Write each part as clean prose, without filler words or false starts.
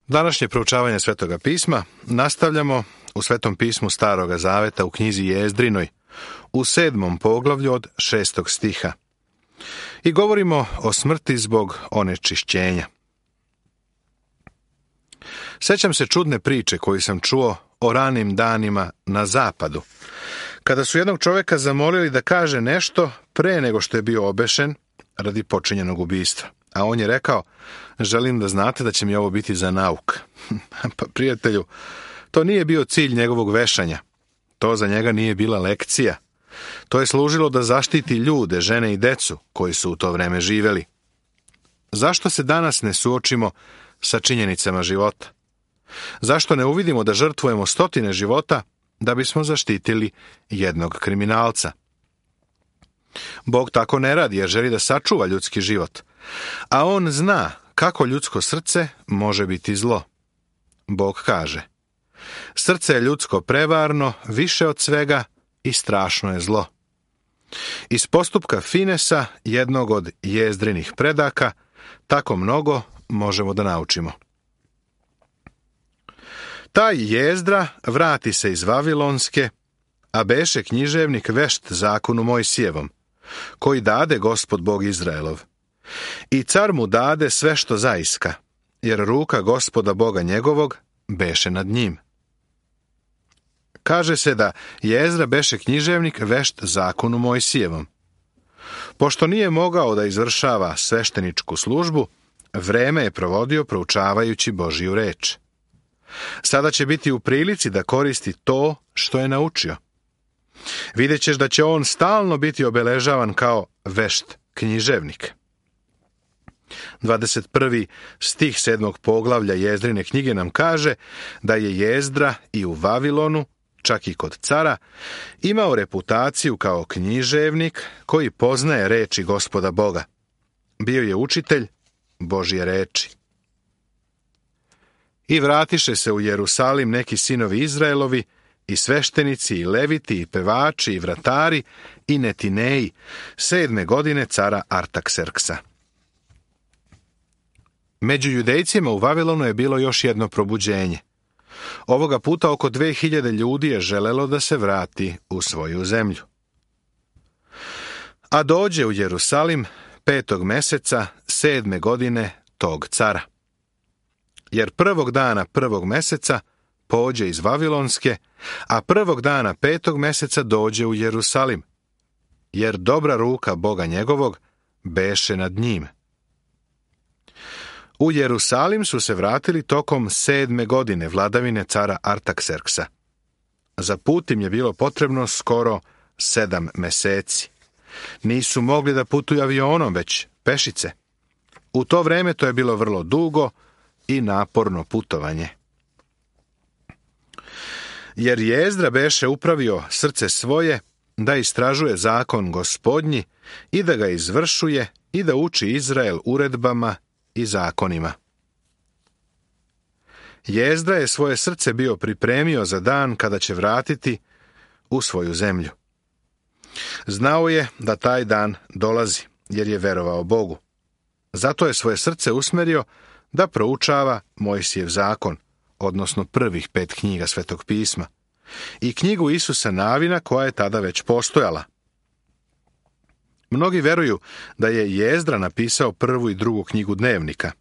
Današnje proučavanje Svetoga pisma nastavljamo u Svetom pismu Staroga zaveta u knjizi Jezdrinoj, u 7. poglavlju od 6. stiha. I govorimo o smrti zbog onečišćenja. Sjećam se čudne priče koju sam čuo o ranim danima na zapadu, kada su jednog čovjeka zamolili da kaže nešto pre nego što je bio obešen radi počinjenog ubistva. A on je rekao: želim da znate da će mi ovo biti za nauk. Pa prijatelju, to nije bio cilj njegovog vešanja. To za njega nije bila lekcija. To je služilo da zaštiti ljude, žene i decu koji su u to vreme živeli. Zašto se danas ne suočimo sa činjenicama života? Zašto ne uvidimo da žrtvujemo stotine života da bismo zaštitili jednog kriminalca? Bog tako ne radi jer želi da sačuva ljudski život, a on zna kako ljudsko srce može biti zlo. Bog kaže: srce je ljudsko prevarno, više od svega, i strašno je zlo. Iz postupka Finesa, jednog od Jezdrinih predaka, tako mnogo možemo da naučimo. Taj Jezdra vrati se iz Vavilonske, a beše književnik vešt zakonu Mojsijevom, koji dade Gospod Bog Izraelov. I car mu dade sve što zaiska, jer ruka Gospoda Boga njegovog beše nad njim. Kaže se da Jezdra beše književnik vešt zakonu Mojsijevom. Pošto nije mogao da izvršava svešteničku službu, vreme je provodio proučavajući Božiju reč. Sada će biti u prilici da koristi to što je naučio. Vidjet ćeš da će on stalno biti obeležavan kao vešt književnik. 21. stih 7. poglavlja Jezdrine knjige nam kaže da je Jezdra i u Vavilonu, čak i kod cara, imao reputaciju kao književnik koji poznaje reči Gospoda Boga. Bio je učitelj Božje reči. I vratiše se u Jerusalim neki sinovi Izraelovi, i sveštenici, i leviti, i pevači, i vratari, i netineji, 7. godine cara Artakserksa. Među Judejcima u Vavilonu je bilo još jedno probuđenje. Ovoga puta oko 2000 ljudi je želelo da se vrati u svoju zemlju. A dođe u Jerusalim 5. meseca 7. godine tog cara. Jer 1. dana 1. meseca pođe iz Vavilonske, a 1. dana 5. meseca dođe u Jerusalim, jer dobra ruka Boga njegovog beše nad njim. U Jerusalim su se vratili tokom 7. godine vladavine cara Artakserksa. Za put im je bilo potrebno skoro 7 meseci. Nisu mogli da putuju avionom, već pešice. U to vreme to je bilo vrlo dugo i naporno putovanje. Jer Jezdra beše upravio srce svoje da istražuje zakon Gospodnji i da ga izvršuje i da uči Izrael uredbama i zakonima. Jezdra je svoje srce bio pripremio za dan kada će vratiti u svoju zemlju. Znao je da taj dan dolazi, jer je verovao Bogu. Zato je svoje srce usmerio da proučava Mojsijev zakon, odnosno prvih 5 knjiga Svetog pisma, i knjigu Isusa Navina koja je tada već postojala. Mnogi veruju da je Jezdra napisao 1. i 2. knjigu dnevnika.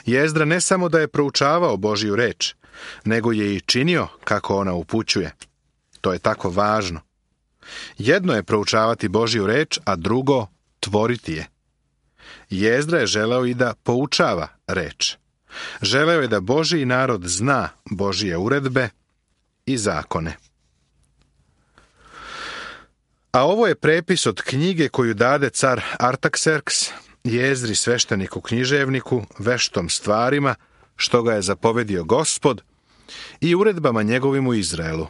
Jezdra ne samo da je proučavao Božju reč, nego je i činio kako ona upućuje. To je tako važno. Jedno je proučavati Božju reč, a drugo tvoriti je. Jezdra je želeo i da poučava reč. Želeo je da Božji narod zna Božje uredbe i zakone. A ovo je prepis od knjige koju dade car Artakserks Jezdri svešteniku književniku, veštom stvarima, što ga je zapovedio Gospod, i uredbama njegovim u Izraelu.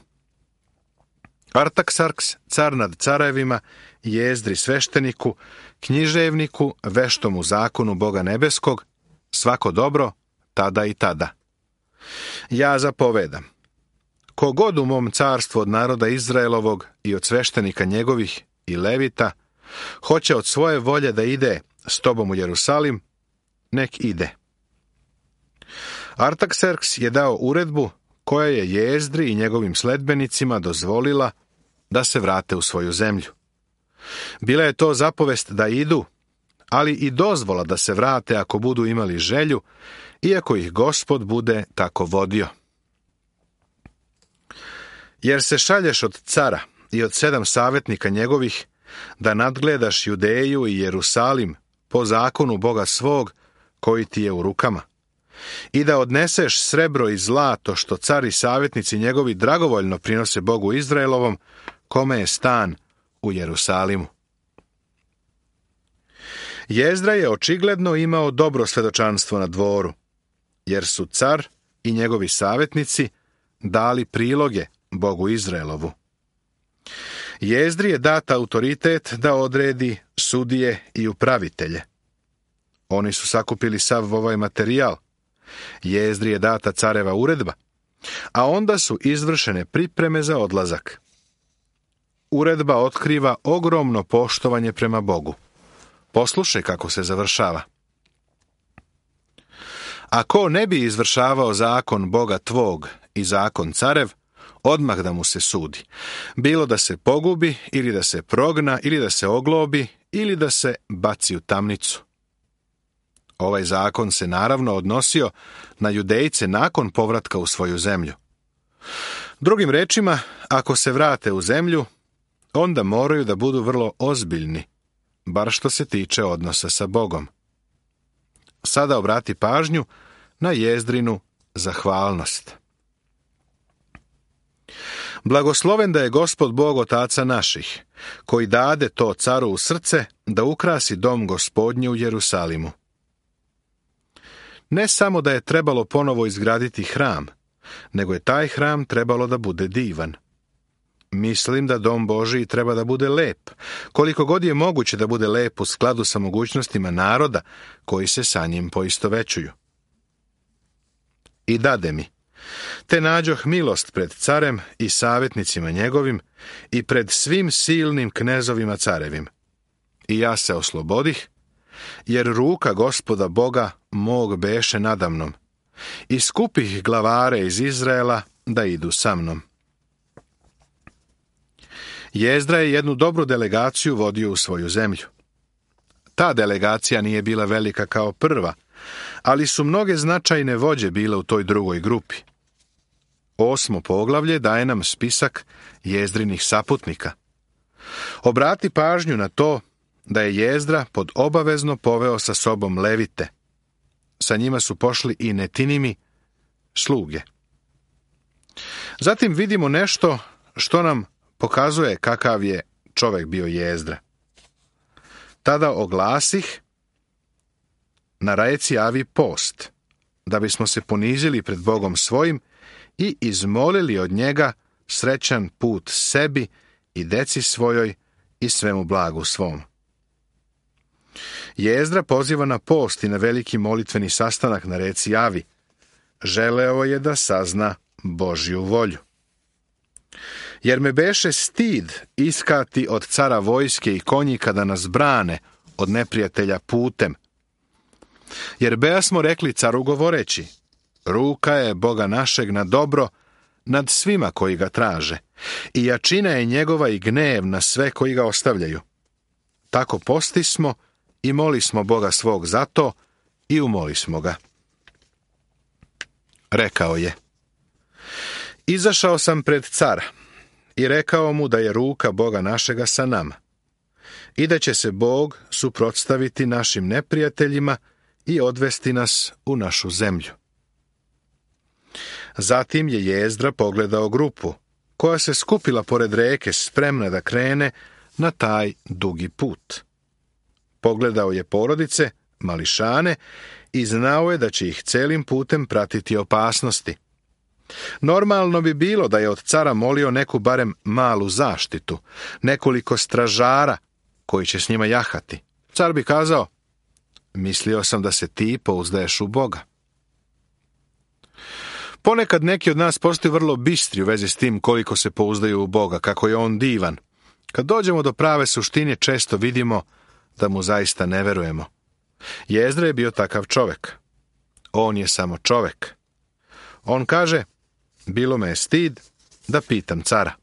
Artaksarks, car nad carevima, Jezdri svešteniku, književniku, veštom u zakonu Boga nebeskog, svako dobro, tada i tada. Ja zapovedam: kogod u mom carstvu od naroda Izraelovog i od sveštenika njegovih i levita hoće od svoje volje da ide s tobom u Jerusalim, nek ide. Artakserks je dao uredbu koja je Jezdri i njegovim sledbenicima dozvolila da se vrate u svoju zemlju. Bila je to zapovest da idu, ali i dozvola da se vrate ako budu imali želju, iako ih Gospod bude tako vodio. Jer se šalješ od cara i od 7 savjetnika njegovih da nadgledaš Judeju i Jerusalim po zakonu Boga svog koji ti je u rukama, i da odneseš srebro i zlato što car i savjetnici njegovi dragovoljno prinose Bogu Izraelovom, kome je stan u Jerusalimu. Jezdra je očigledno imao dobro svedočanstvo na dvoru, jer su car i njegovi savjetnici dali priloge Bogu Izraelovu. Jezdri je dat autoritet da odredi sudije i upravitelje. Oni su sakupili sav ovaj materijal. Jezdri je data careva uredba, a onda su izvršene pripreme za odlazak. Uredba otkriva ogromno poštovanje prema Bogu. Poslušaj kako se završava. A ko ne bi izvršavao zakon Boga tvog i zakon carev, odmah da mu se sudi. Bilo da se pogubi, ili da se progna, ili da se oglobi, ili da se baci u tamnicu. Ovaj zakon se naravno odnosio na Judejce nakon povratka u svoju zemlju. Drugim rečima, ako se vrate u zemlju, onda moraju da budu vrlo ozbiljni, bar što se tiče odnosa sa Bogom. Sada obrati pažnju na Jezdrinu zahvalnost. Blagosloven da je Gospod Bog otaca naših, koji dade to caru u srce da ukrasi dom Gospodnje u Jerusalimu. Ne samo da je trebalo ponovo izgraditi hram, nego je taj hram trebalo da bude divan. Mislim da dom Božiji treba da bude lep, koliko god je moguće da bude lep u skladu sa mogućnostima naroda koji se sa njim poistovećuju. I dade mi, te nađoh milost pred carem i savjetnicima njegovim i pred svim silnim knezovima carevim. I ja se oslobodih, jer ruka Gospoda Boga mog beše nadamnom, i skupih glavare iz Izraela da idu sa mnom. Jezdra je jednu dobru delegaciju vodio u svoju zemlju. Ta delegacija nije bila velika kao prva, ali su mnoge značajne vođe bile u toj drugoj grupi. 8. poglavlje daje nam spisak Jezdrinih saputnika. Obrati pažnju na to da je Jezdra pod obavezno poveo sa sobom Levite. Sa njima su pošli i Netinimi, sluge. Zatim vidimo nešto što nam pokazuje kakav je čovjek bio Jezdra. Tada oglasih na reci Avi post, da bismo se ponizili pred Bogom svojim i izmolili od njega srećan put sebi i deci svojoj i svemu blagu svom. Jezdra poziva na post i na veliki molitveni sastanak na reci Avi. Želeo je da sazna Božju volju. Jer me beše stid iskati od cara vojske i konjika da nas brane od neprijatelja putem. Jer beja smo rekli caru govoreći, ruka je Boga našeg na dobro nad svima koji ga traže, i jačina je njegova i gnev na sve koji ga ostavljaju. Tako postismo i molismo Boga svog za to i umolismo ga. Rekao je, izašao sam pred cara i rekao mu da je ruka Boga našega sa nama i da će se Bog suprotstaviti našim neprijateljima i odvesti nas u našu zemlju. Zatim je Jezdra pogledao grupu koja se skupila pored reke spremna da krene na taj dugi put. Pogledao je porodice, mališane i znao je da će ih celim putem pratiti opasnosti. Normalno bi bilo da je od cara molio neku barem malu zaštitu, nekoliko stražara koji će s njima jahati. Car bi kazao, mislio sam da se ti pouzdaješ u Boga. Ponekad neki od nas postaju vrlo bistri u vezi s tim koliko se pouzdaju u Boga, kako je on divan. Kad dođemo do prave suštine, često vidimo da mu zaista ne verujemo. Jezdra je bio takav čovjek. On je samo čovjek, On kaže, bilo me je stid da pitam cara.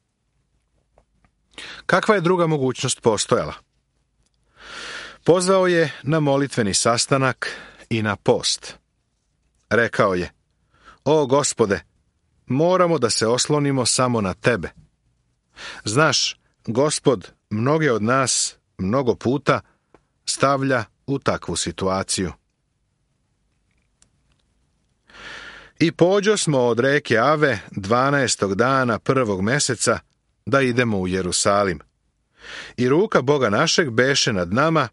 Kakva je druga mogućnost postojala? Pozvao je na molitveni sastanak i na post. Rekao je, o Gospode, moramo da se oslonimo samo na tebe. Znaš, Gospod mnoge od nas mnogo puta stavlja u takvu situaciju. I pođosmo od reke Ave 12. dana 1. meseca da idemo u Jerusalim. I ruka Boga našeg beše nad nama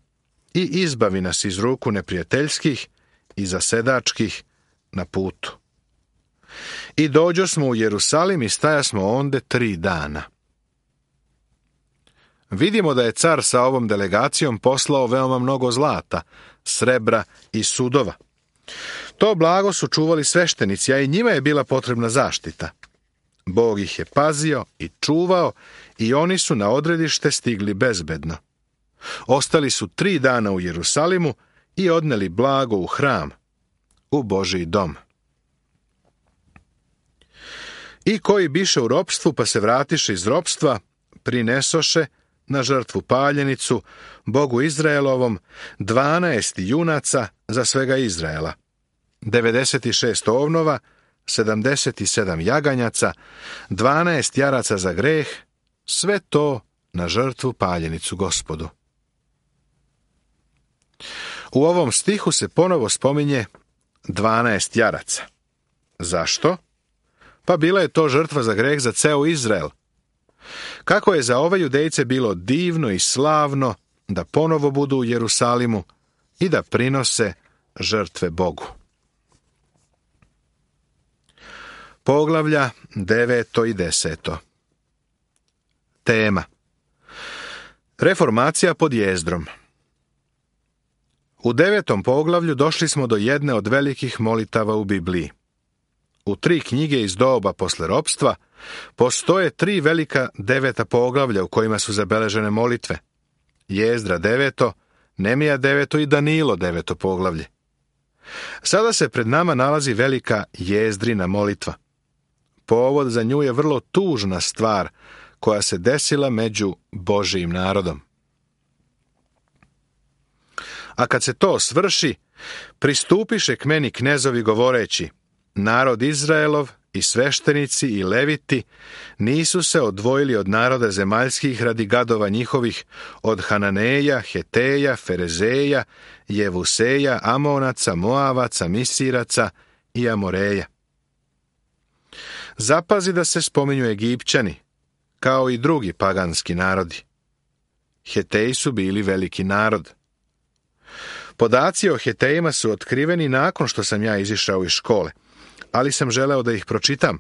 i izbavi nas iz ruku neprijateljskih i zasedačkih na putu. I dođosmo u Jerusalim i stajasmo onde 3 dana. Vidimo da je car sa ovom delegacijom poslao veoma mnogo zlata, srebra i sudova. To blago su čuvali sveštenici, a i njima je bila potrebna zaštita. Bog ih je pazio i čuvao i oni su na odredište stigli bezbedno. Ostali su 3 dana u Jerusalimu i odneli blago u hram, u Božji dom. I koji biše u ropstvu pa se vratiše iz ropstva, prinesoše na žrtvu paljenicu Bogu Izraelovom 12 junaca za svega Izraela, 96 ovnova, 77 jaganjaca, 12 jaraca za greh, sve to na žrtvu paljenicu Gospodu. U ovom stihu se ponovo spominje 12 jaraca. Zašto? Pa bila je to žrtva za greh za ceo Izrael. Kako je za ove Judejce bilo divno i slavno da ponovo budu u Jerusalimu i da prinose žrtve Bogu. Poglavlja 9. i 10. Tema: Reformacija pod Jezdrom. U 9. poglavlju došli smo do jedne od velikih molitava u Bibliji. U 3 knjige iz doba posle ropstva postoje 3 velika 9. poglavlja u kojima su zabeležene molitve. Jezdra 9., Nemija 9. i Danilo 9. poglavlje. Sada se pred nama nalazi velika Jezdrina molitva. Povod za nju je vrlo tužna stvar koja se desila među Božijim narodom. A kad se to svrši, pristupiše k meni knezovi govoreći, narod Izraelov i sveštenici i leviti nisu se odvojili od naroda zemaljskih radi gadova njihovih, od Hananeja, Heteja, Ferezeja, Jevuseja, Amonaca, Moavaca, Misiraca i Amoreja. Zapazi da se spominju Egipćani, kao i drugi paganski narodi. Heteji su bili veliki narod. Podaci o Hetejima su otkriveni nakon što sam ja izišao iz škole, ali sam želeo da ih pročitam.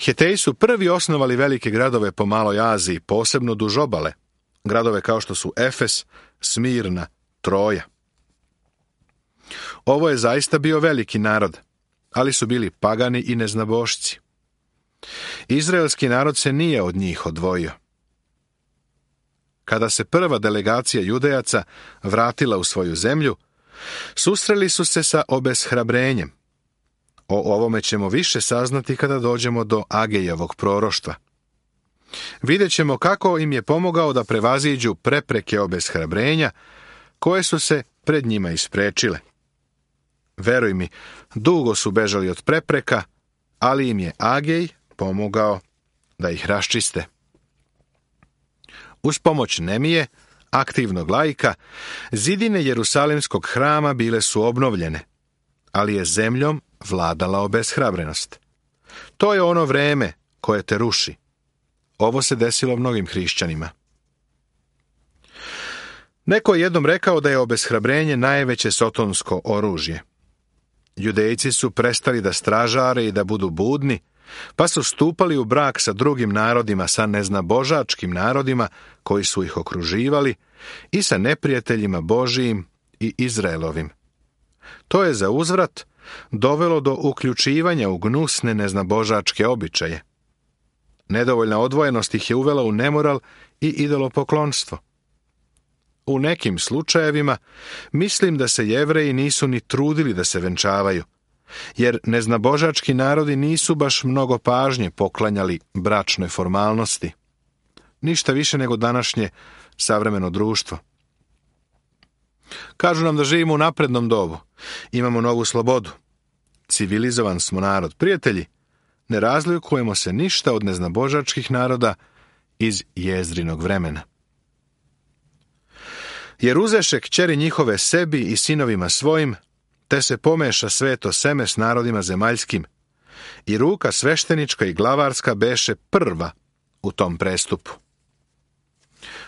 Heteji su prvi osnovali velike gradove po Maloj Aziji, posebno duž obale, gradove kao što su Efes, Smirna, Troja. Ovo je zaista bio veliki narod, ali su bili pagani i neznabošci. Izraelski narod se nije od njih odvojio. Kada se prva delegacija Judejaca vratila u svoju zemlju, susreli su se sa obeshrabrenjem. O ovome ćemo više saznati kada dođemo do Agejevog proroštva. Vidjet ćemo kako im je pomogao da prevaziđu prepreke obeshrabrenja koje su se pred njima isprečile. Veruj mi, dugo su bežali od prepreka, ali im je Agej pomogao da ih raščiste. Uz pomoć Nemije, aktivnog laika, zidine Jerusalimskog hrama bile su obnovljene, ali je zemljom vladala obeshrabrenost. To je ono vreme koje te ruši. Ovo se desilo mnogim hrišćanima. Neko je jednom rekao da je obeshrabrenje najveće sotonsko oružje. Judejci su prestali da stražare i da budu budni, pa su stupali u brak sa drugim narodima, sa neznabožačkim narodima koji su ih okruživali i sa neprijateljima Božijim i Izraelovim. To je za uzvrat dovelo do uključivanja u gnusne neznabožačke običaje. Nedovoljna odvojenost ih je uvela u nemoral i idolopoklonstvo. U nekim slučajevima mislim da se Jevreji nisu ni trudili da se venčavaju, jer neznabožački narodi nisu baš mnogo pažnje poklanjali bračnoj formalnosti. Ništa više nego današnje savremeno društvo. Kažu nam da živimo u naprednom dobu. Imamo novu slobodu. Civilizovan smo narod. Prijatelji, ne razlikujemo se ništa od neznabožačkih naroda iz Jezdrinog vremena. Jer uzeše kćeri njihove sebi i sinovima svojim, te se pomeša sveto seme s narodima zemaljskim, i ruka sveštenička i glavarska beše prva u tom prestupu.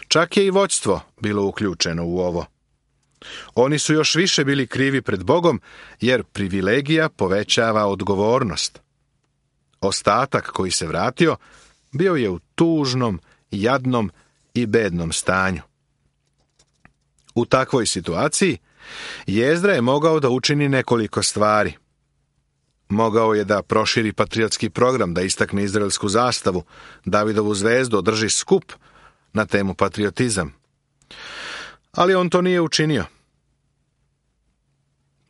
Čak je i vođstvo bilo uključeno u ovo. Oni su još više bili krivi pred Bogom, jer privilegija povećava odgovornost. Ostatak koji se vratio bio je u tužnom, jadnom i bednom stanju. U takvoj situaciji Jezdra je mogao da učini nekoliko stvari. Mogao je da proširi patriotski program, da istakne izraelsku zastavu, Davidovu zvezdu, održi skup na temu patriotizam. Ali on to nije učinio.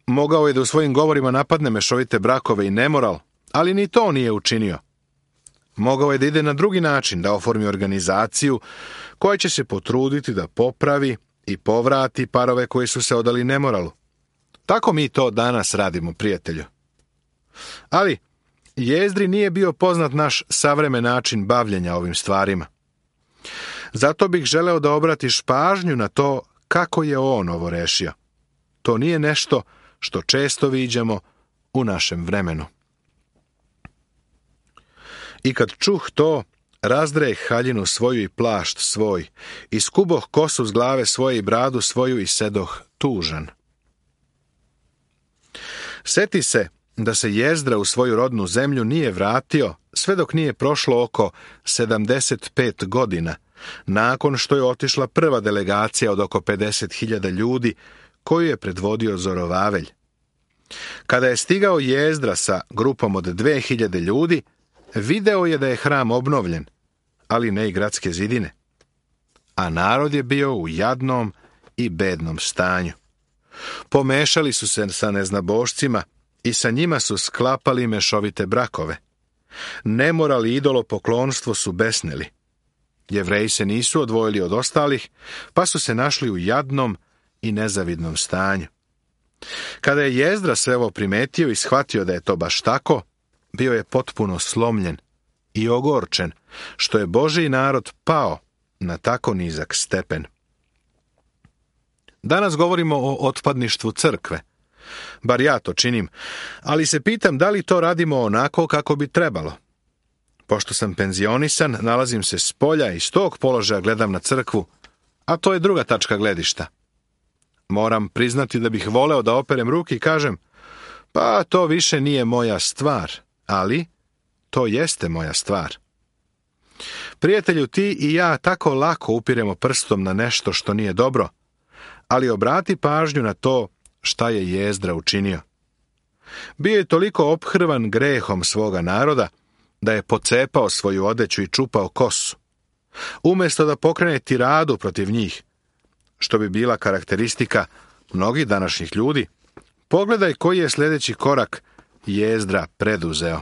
Mogao je da u svojim govorima napadne mešovite brakove i nemoral, ali ni to nije učinio. Mogao je da ide na drugi način, da oformi organizaciju koja će se potruditi da popravi i povrati parove koji su se odali nemoralu. Tako mi to danas radimo, prijatelju. Ali Jezdri nije bio poznat naš savremen način bavljenja ovim stvarima. Zato bih želeo da obratiš pažnju na to kako je on ovo rešio. To nije nešto što često viđamo u našem vremenu. I kad čuh to, razdreh haljinu svoju i plašt svoj, i skuboh kosu s glave svoje i bradu svoju i sedoh tužan. Seti se da se Jezdra u svoju rodnu zemlju nije vratio sve dok nije prošlo oko 75 godina, nakon što je otišla prva delegacija od oko 50.000 ljudi koju je predvodio Zorovavelj. Kada je stigao Jezdra sa grupom od 2000 ljudi, video je da je hram obnovljen, ali ne i gradske zidine. A narod je bio u jadnom i bednom stanju. Pomešali su se sa neznabošcima i sa njima su sklapali mešovite brakove. Nemoral i idolopoklonstvo su besneli. Jevreji se nisu odvojili od ostalih, pa su se našli u jadnom i nezavidnom stanju. Kada je Jezdra sve ovo primetio i shvatio da je to baš tako, bio je potpuno slomljen i ogorčen, što je Božji narod pao na tako nizak stepen. Danas govorimo o otpadništvu crkve. Bar ja to činim, ali se pitam da li to radimo onako kako bi trebalo. Pošto sam penzionisan, nalazim se s polja i s tog položaja gledam na crkvu, a to je druga tačka gledišta. Moram priznati da bih voleo da operem ruke i kažem, pa to više nije moja stvar, ali to jeste moja stvar. Prijatelju, ti i ja tako lako upiremo prstom na nešto što nije dobro, ali obrati pažnju na to šta je Jezdra učinio. Bio je toliko ophrvan grehom svoga naroda da je pocepao svoju odeću i čupao kosu. Umjesto da pokrene tiradu protiv njih, što bi bila karakteristika mnogih današnjih ljudi, pogledaj koji je sljedeći korak Jezdra preduzeo.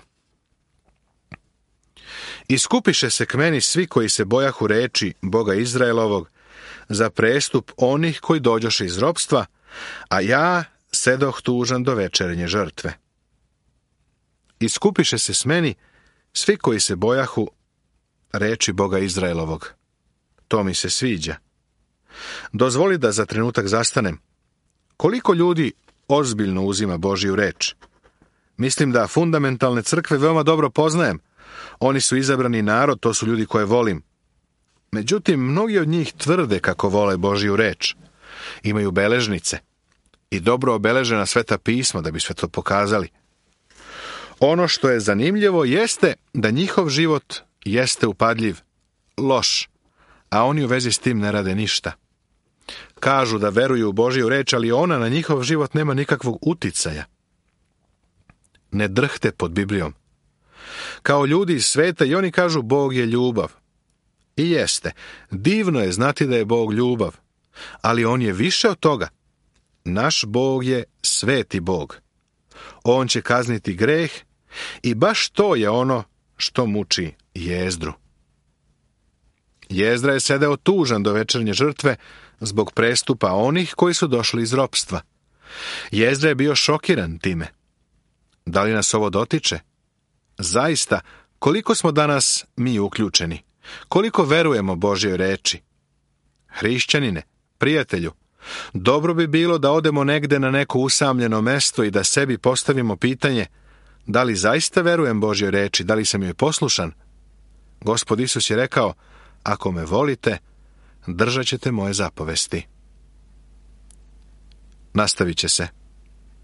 Iskupiše se k meni svi koji se bojahu reči Boga Izraelovog za prestup onih koji dođoše iz ropstva, a ja sedoh tužan do večernje žrtve. Iskupiše se s meni svi koji se bojahu reči Boga Izraelovog. To mi se sviđa. Dozvoli da za trenutak zastanem. Koliko ljudi ozbiljno uzima Božju reč? Mislim da fundamentalne crkve veoma dobro poznajem. Oni su izabrani narod, to su ljudi koje volim. Međutim, mnogi od njih tvrde kako vole Božju reč. Imaju beležnice i dobro obeležena sveta pisma da bi sve to pokazali. Ono što je zanimljivo jeste da njihov život jeste upadljiv, loš, a oni u vezi s tim ne rade ništa. Kažu da veruju u Božju reč, ali ona na njihov život nema nikakvog uticaja. Ne drhte pod Biblijom. Kao ljudi iz sveta i oni kažu Bog je ljubav. I jeste, divno je znati da je Bog ljubav, ali on je više od toga. Naš Bog je sveti Bog. on će kazniti greh i baš to je ono što muči Jezdru. Jezdra je sedeo tužan do večernje žrtve zbog prestupa onih koji su došli iz ropstva. Jezdra je bio šokiran time. Da li nas ovo dotiče? Zaista, koliko smo danas mi uključeni? Koliko verujemo Božjoj reči? Hrišćanine, prijatelju, dobro bi bilo da odemo negde na neko usamljeno mesto i da sebi postavimo pitanje: da li zaista verujem Božjoj reči, da li sam joj poslušan? Gospod Isus je rekao: ako me volite, držat ćete moje zapovesti. Nastavit će se.